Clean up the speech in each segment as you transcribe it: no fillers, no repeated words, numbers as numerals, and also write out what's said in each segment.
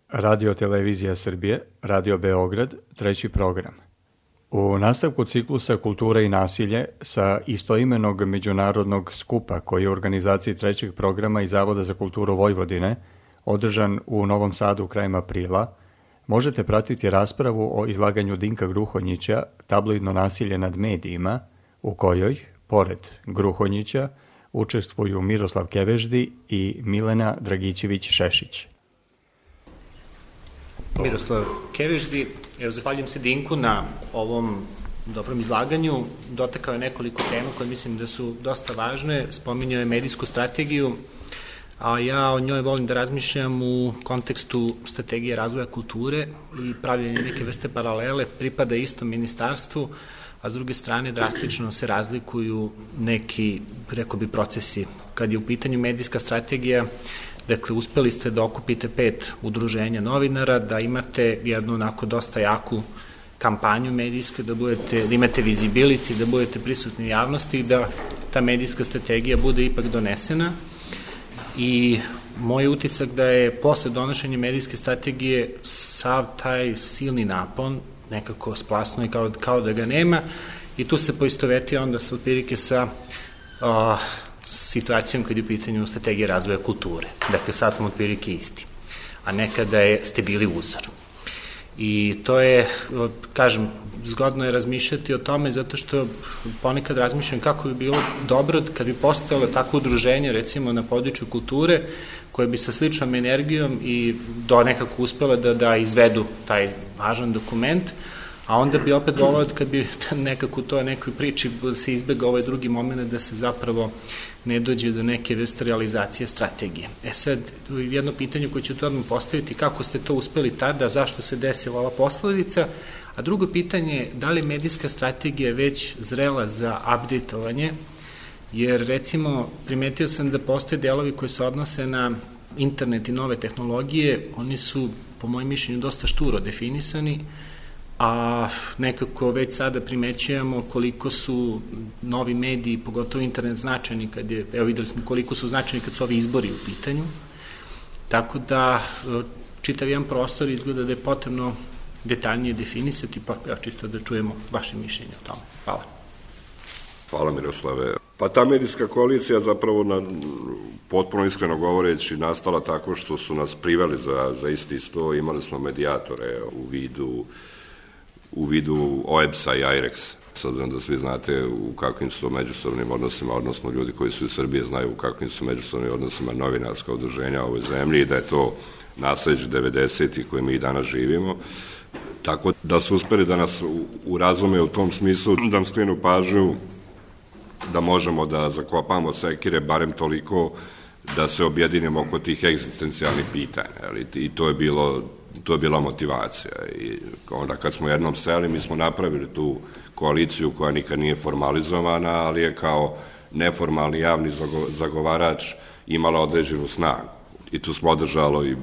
Radio Televizija Srbije, Radio Beograd, 3. program. U nastavku ciklusa Kultura i nasilje sa istoimenog međunarodnog skupa koji je u organizaciji 3. programa i Zavoda za kulturu Vojvodine, održan u Novom Sadu krajem aprila, možete pratiti raspravu o izlaganju Dinka Gruhonjića Tabloidno nasilje nad medijima, u kojoj, pored Gruhonjića, učestvuju Miroslav Keveždi i Milena Dragićević-Šešić. Miroslav Keveždi, zahvaljujem se Dinku na ovom dobrom izlaganju. Dotakao je nekoliko tema koje mislim da su dosta važne. Spominjao je medijsku strategiju, a ja o njoj volim da razmišljam u kontekstu strategije razvoja kulture i pravljenje neke vrste paralele, pripada istom ministarstvu, a s druge strane drastično se razlikuju neki, rekao bi, procesi. Kad je u pitanju medijska strategija, dakle, uspeli ste da okupite 5 udruženja novinara, da imate jednu onako dosta jaku kampanju medijsku, da imate visibility, da budete prisutni u javnosti i da ta medijska strategija bude ipak donesena. I moj utisak da je posle donošenja medijske strategije sav taj silni napon nekako splasno i kao da ga nema, i tu se poistovetio onda sa otprilike sa situacijom kad je u pitanju strategije razvoja kulture. Dakle, sad smo otprilike isti, a nekada ste bili uzor. I to je, kažem, zgodno je razmišljati o tome, zato što ponekad razmišljam kako bi bilo dobro kad bi postojalo takvo udruženje, recimo na području kulture, koje bi sa sličnom energijom i nekako uspela da izvedu taj važan dokument, a onda bi opet volao kad bi nekako to nekoj priči se izbega ovaj drugi moment da se zapravo ne dođe do neke vrste realizacije strategije. Sad, jedno pitanje koje ću to odmah postaviti, kako ste to uspeli tada, zašto se desila ova posledica, a drugo pitanje je da li medijska strategija već zrela za updateovanje, jer recimo primetio sam da postoje delovi koji se odnose na internet i nove tehnologije, oni su po mojem mišljenju dosta šturo definisani, a nekako već sada primećujemo koliko su novi mediji, pogotovo internet, značajni kad je, evo videli smo koliko su značajni kad su ovi izbori u pitanju, tako da čitav jedan prostor izgleda da je potrebno detaljnije definisati, pa ja čisto da čujemo vaše mišljenje o tome. Hvala. Hvala, Miroslave. Pa ta medijska koalicija zapravo, potpuno iskreno govoreći, nastala tako što su nas priveli za isti sto. Imali smo medijatore u vidu OEBS-a i IREX. S obzirom da svi znate u kakvim su međusobnim odnosima, odnosno ljudi koji su iz Srbije znaju u kakvim su međusobnim odnosima novinarska udruženja u ovoj zemlji i da je to nasleđe 90-ih koje mi i danas živimo. Tako da su uspeli da nas urazume u tom smislu, da nam skrenu pažnju da možemo da zakopamo sekire barem toliko da se objedinimo oko tih egzistencijalnih pitanja. I to je bila motivacija. I onda kad smo jednom seli, mi smo napravili tu koaliciju koja nikad nije formalizovana, ali je kao neformalni javni zagovarač imala određenu snagu. I tu smo održali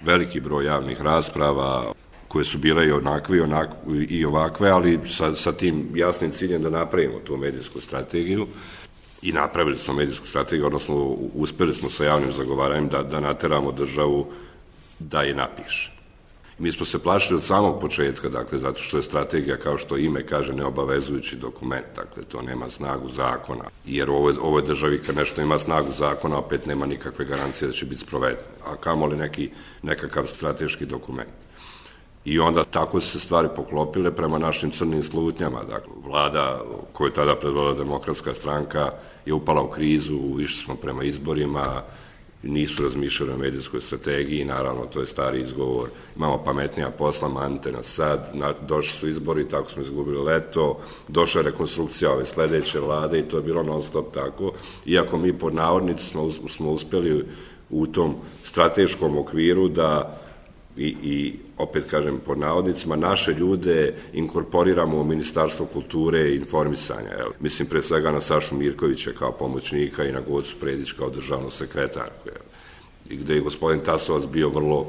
veliki broj javnih rasprava koje su bile i ovakve, ali sa tim jasnim ciljem da napravimo tu medijsku strategiju. I napravili smo medijsku strategiju, odnosno uspeli smo sa javnim zagovaranjem da nateramo državu da je napiše. Mi smo se plašili od samog početka, dakle, zato što je strategija, kao što ime kaže, neobavezujući dokument, dakle, to nema snagu zakona, jer u ovoj državi kad nešto ima snagu zakona, opet nema nikakve garancije da će biti sproveden, a kamoli nekakav strateški dokument. I onda tako su se stvari poklopile prema našim crnim slutnjama. Dakle, vlada koju je tada predvodila Demokratska stranka je upala u krizu, išli smo prema izborima, nisu razmišljali o medijskoj strategiji, naravno to je stari izgovor, imamo pametnija posla, manite nas sad, došli su izbori, tako smo izgubili leto, došla je rekonstrukcija ove sledeće vlade i to je bilo non stop tako, iako mi pod navodnici smo uspeli u tom strateškom okviru da i opet kažem pod navodnicima, naše ljude inkorporiramo u Ministarstvo kulture i informisanja. Mislim pre svega na Sašu Mirkovića kao pomoćnika i na Gocu Predić kao državnu sekretarku. I gde je gospodin Tasovac bio vrlo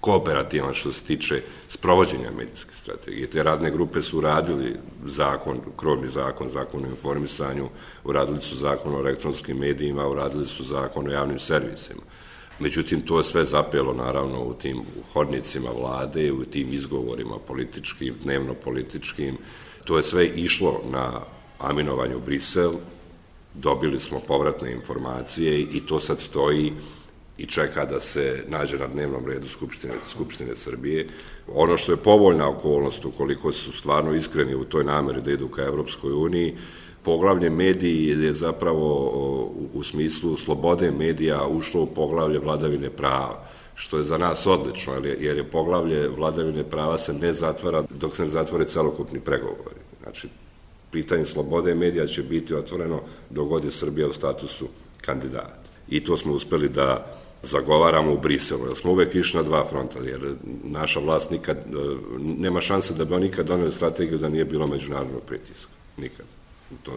kooperativan što se tiče sprovođenja medijske strategije. Te radne grupe su uradili zakon, krovni zakon, zakon o informisanju, uradili su zakon o elektronskim medijima, uradili su zakon o javnim servisima. Međutim, to je sve zapelo, naravno, u tim hodnicima vlade, u tim izgovorima političkim, dnevno političkim. To je sve išlo na aminovanje u Brisel, dobili smo povratne informacije i to sad stoji i čeka da se nađe na dnevnom redu Skupštine Srbije. Ono što je povoljna okolnost, ukoliko su stvarno iskreni u toj nameri da idu ka Evropskoj uniji, poglavlje mediji je zapravo u smislu slobode medija ušlo u poglavlje vladavine prava, što je za nas odlično, jer je poglavlje vladavine prava se ne zatvara dok se ne zatvore celokupni pregovori. Znači, pitanje slobode medija će biti otvoreno dok god je Srbija u statusu kandidata. I to smo uspeli da zagovaramo u Briselu, jer smo uvek išli na dva fronta, jer naša vlast nikad, nema šanse da bi on nikad doneli strategiju da nije bilo međunarodnog pritiska. Nikad.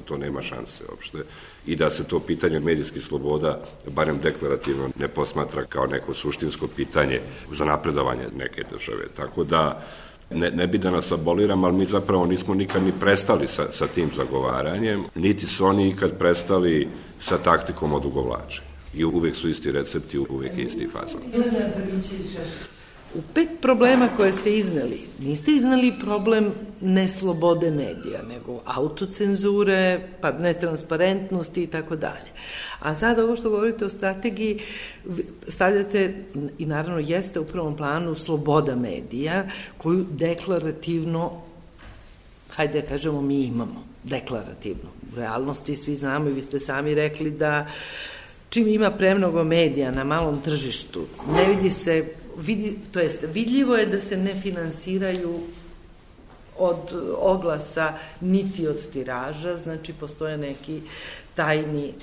To nema šanse uopšte. I da se to pitanje medijskih sloboda, barem deklarativno, ne posmatra kao neko suštinsko pitanje za napredovanje neke države. Tako da, ne bi da nas aboliram, ali mi zapravo nismo nikad ni prestali sa tim zagovaranjem, niti su oni ikad prestali sa taktikom odugovlačenja. I uvek su isti recepti, uvek je isti fazon. U 5 problema koje ste izneli, niste iznali problem neslobode medija, nego autocenzure, pa netransparentnosti i tako dalje. A sad ovo što govorite o strategiji, stavljate, i naravno jeste u prvom planu, sloboda medija, koju deklarativno, hajde da kažemo, mi imamo, deklarativno. U realnosti svi znamo i vi ste sami rekli da čim ima premnogo medija na malom tržištu, ne vidi se, to jest vidljivo je da se ne finansiraju od oglasa niti od tiraža, znači postoje neki tajni.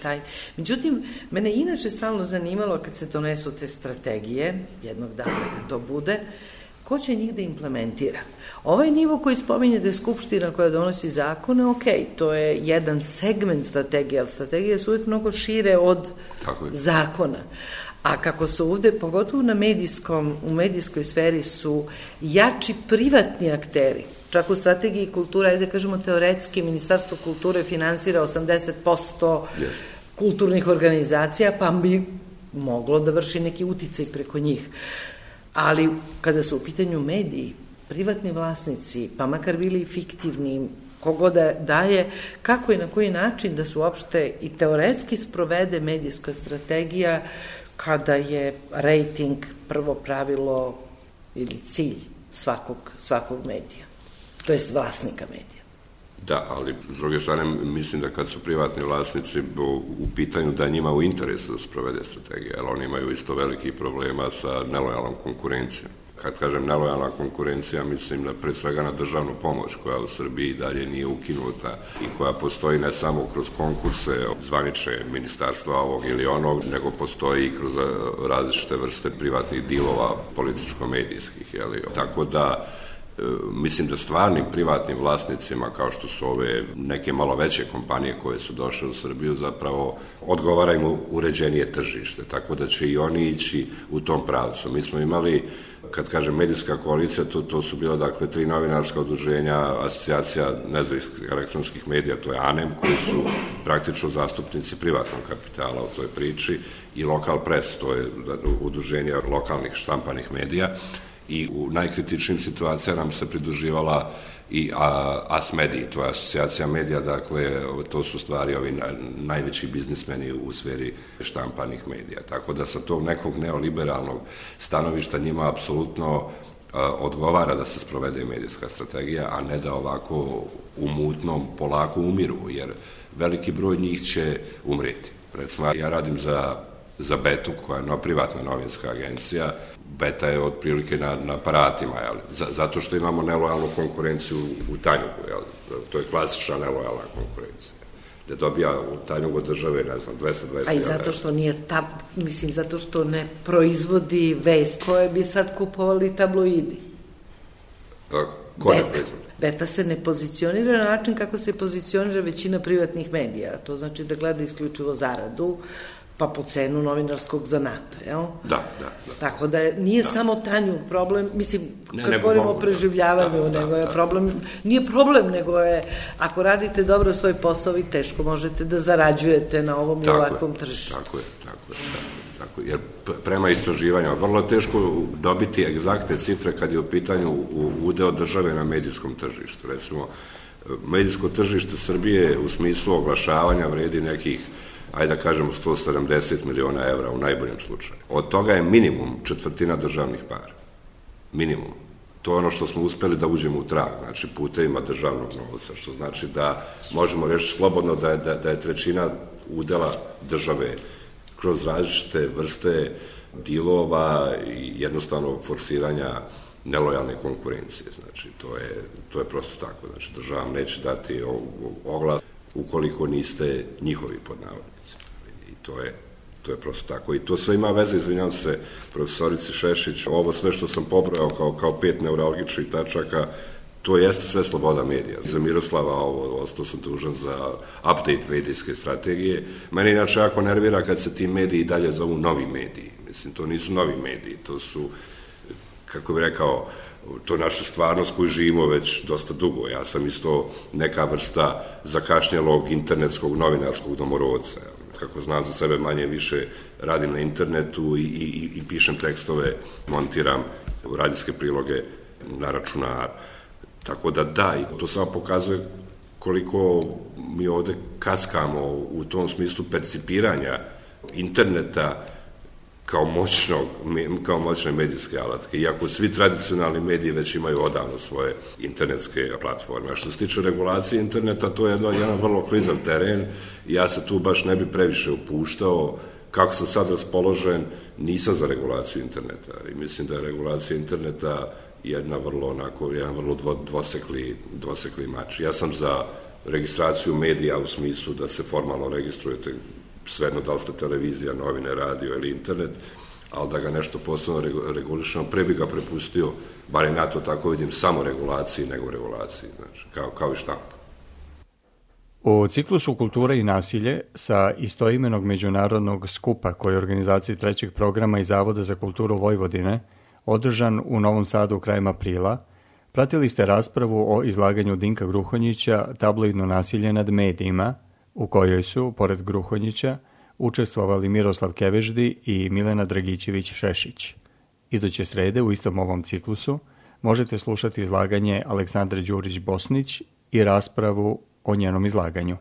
Međutim, mene inače stalno zanimalo kad se donesu te strategije, jednog dana da to bude, ko će njih da implementira? Ovaj nivo koji spominjete, Skupština koja donosi zakone, ok, to je jedan segment strategije, ali strategije su uvijek mnogo šire od zakona. A kako su ovde, pogotovo u medijskoj sferi, su jači privatni akteri, čak u strategiji kulture, ajde kažemo teoretski, Ministarstvo kulture finansira 80% kulturnih organizacija, pa bi moglo da vrši neki uticaj preko njih. Ali kada su u pitanju mediji, privatni vlasnici, pa makar bili fiktivni, kogo da daje, kako i na koji način da se uopšte i teoretski sprovede medijska strategija kada je rejting prvo pravilo ili cilj svakog medija, to je vlasnika medija. Da, ali s druge strane mislim da kad su privatni vlasnici u pitanju da njima u interesu da sprovede strategija, jer oni imaju isto velikih problema sa nelojalnom konkurencijom. Kad kažem nelojalna konkurencija, mislim da pre svega na državnu pomoć koja u Srbiji dalje nije ukinuta i koja postoji ne samo kroz konkurse zvanične ministarstva ovog ili onog, nego postoji i kroz različite vrste privatnih dilova političko-medijskih. Tako da mislim da stvarnim privatnim vlasnicima, kao što su ove neke malo veće kompanije koje su došle u Srbiju, zapravo odgovaraju uređenije tržište, tako da će i oni ići u tom pravcu. Mi smo imali, kad kažem medijska koalicija, to su bilo dakle 3 novinarska udruženja, asocijacija nezavisnih elektronskih medija, to je ANEM, koji su praktično zastupnici privatnog kapitala u toj priči, i Lokal Press, to je udruženje lokalnih štampanih medija, i u najkritičnim situacijama nam se pridruživala i ASMediji, to je asocijacija medija, dakle, to su stvari ovi najveći biznismeni u sferi štampanih medija. Tako da sa tog nekog neoliberalnog stanovišta njima apsolutno odgovara da se sprovede medijska strategija, a ne da ovako u mutnom polako umiru, jer veliki broj njih će umreti. Recimo, ja radim za Betu, koja je privatna novinska agencija. Beta je otprilike na aparatima, zato što imamo nelojalnu konkurenciju u Tanjugu, to je klasična nelojalna konkurencija, gde dobija u Tanjugu države, ne znam, 220. A i zato što nije zato što ne proizvodi vest koje bi sad kupovali tabloidi. Ko ne proizvodi? Beta se ne pozicionira na način kako se pozicionira većina privatnih medija, to znači da gleda isključivo zaradu, pa po cenu novinarskog zanata, jel? Da. Tako da nije samo Tanjug problem, mislim, kad govorimo o preživljavanju, nego je problem, nije problem, nego je, ako radite dobro svoj posao, vi teško možete da zarađujete na ovom i ovakvom tržištu. Tako je. jer prema istraživanjima vrlo je teško dobiti egzaktne cifre kad je u pitanju udeo države na medijskom tržištu. Recimo, medijsko tržište Srbije u smislu oglašavanja vredi nekih, ajde da kažemo, 170 miliona evra u najboljem slučaju. Od toga je minimum četvrtina državnih para. Minimum. To je ono što smo uspeli da uđemo u trag, znači putevima državnog novca, što znači da možemo reći slobodno da je trećina udela države kroz različite vrste dilova i jednostavno forsiranja nelojalne konkurencije. Znači, to je prosto tako. Znači, država vam neće dati oglas ukoliko niste njihovi pod navodnici. I to je prosto tako. I to sve ima veze, izvinjam se profesorici Šešić, ovo sve što sam pobrojao kao 5 neuralgičnih tačaka, to jeste sve sloboda medija. Za Miroslava ostao sam dužan za update medijske strategije. Mene inače jako nervira kad se ti mediji dalje zovu novi mediji. Mislim, to nisu novi mediji, to su, kako bih rekao, to je naša stvarnost koju živimo već dosta dugo. Ja sam isto neka vrsta zakašnjelog internetskog novinarskog domorodca. Kako znam za sebe, manje više radim na internetu i pišem tekstove, montiram radijske priloge na računar. Tako da, i to samo pokazuje koliko mi ovde kaskamo u tom smislu percipiranja interneta kao moćne medijske alatke. Iako svi tradicionalni mediji već imaju odavno svoje internetske platforme. A što se tiče regulacije interneta, to je jedan vrlo klizav teren i ja se tu baš ne bi previše upuštao. Kako sam sad raspoložen, nisam za regulaciju interneta. I mislim da je regulacija interneta jedan vrlo dvosekli mač. Ja sam za registraciju medija u smislu da se formalno registrujete, svejedno da li ste televizija, novine, radio ili internet, ali da ga nešto posebno regulišemo, pre bi ga prepustio, bar i na to tako vidim, samo regulaciji nego regulaciji, znači, kao i štampa. U ciklusu Kultura i nasilje sa istoimenog međunarodnog skupa koji je organizaciji trećeg programa i Zavoda za kulturu Vojvodine održan u Novom Sadu krajem aprila, pratili ste raspravu o izlaganju Dinka Gruhonjića Tabloidno nasilje nad medijima, u kojoj su, pored Gruhonjića, učestvovali Miroslav Keveždi i Milena Dragićević-Šešić. Iduće srede u istom ovom ciklusu možete slušati izlaganje Aleksandre Đurić-Bosnić i raspravu o njenom izlaganju.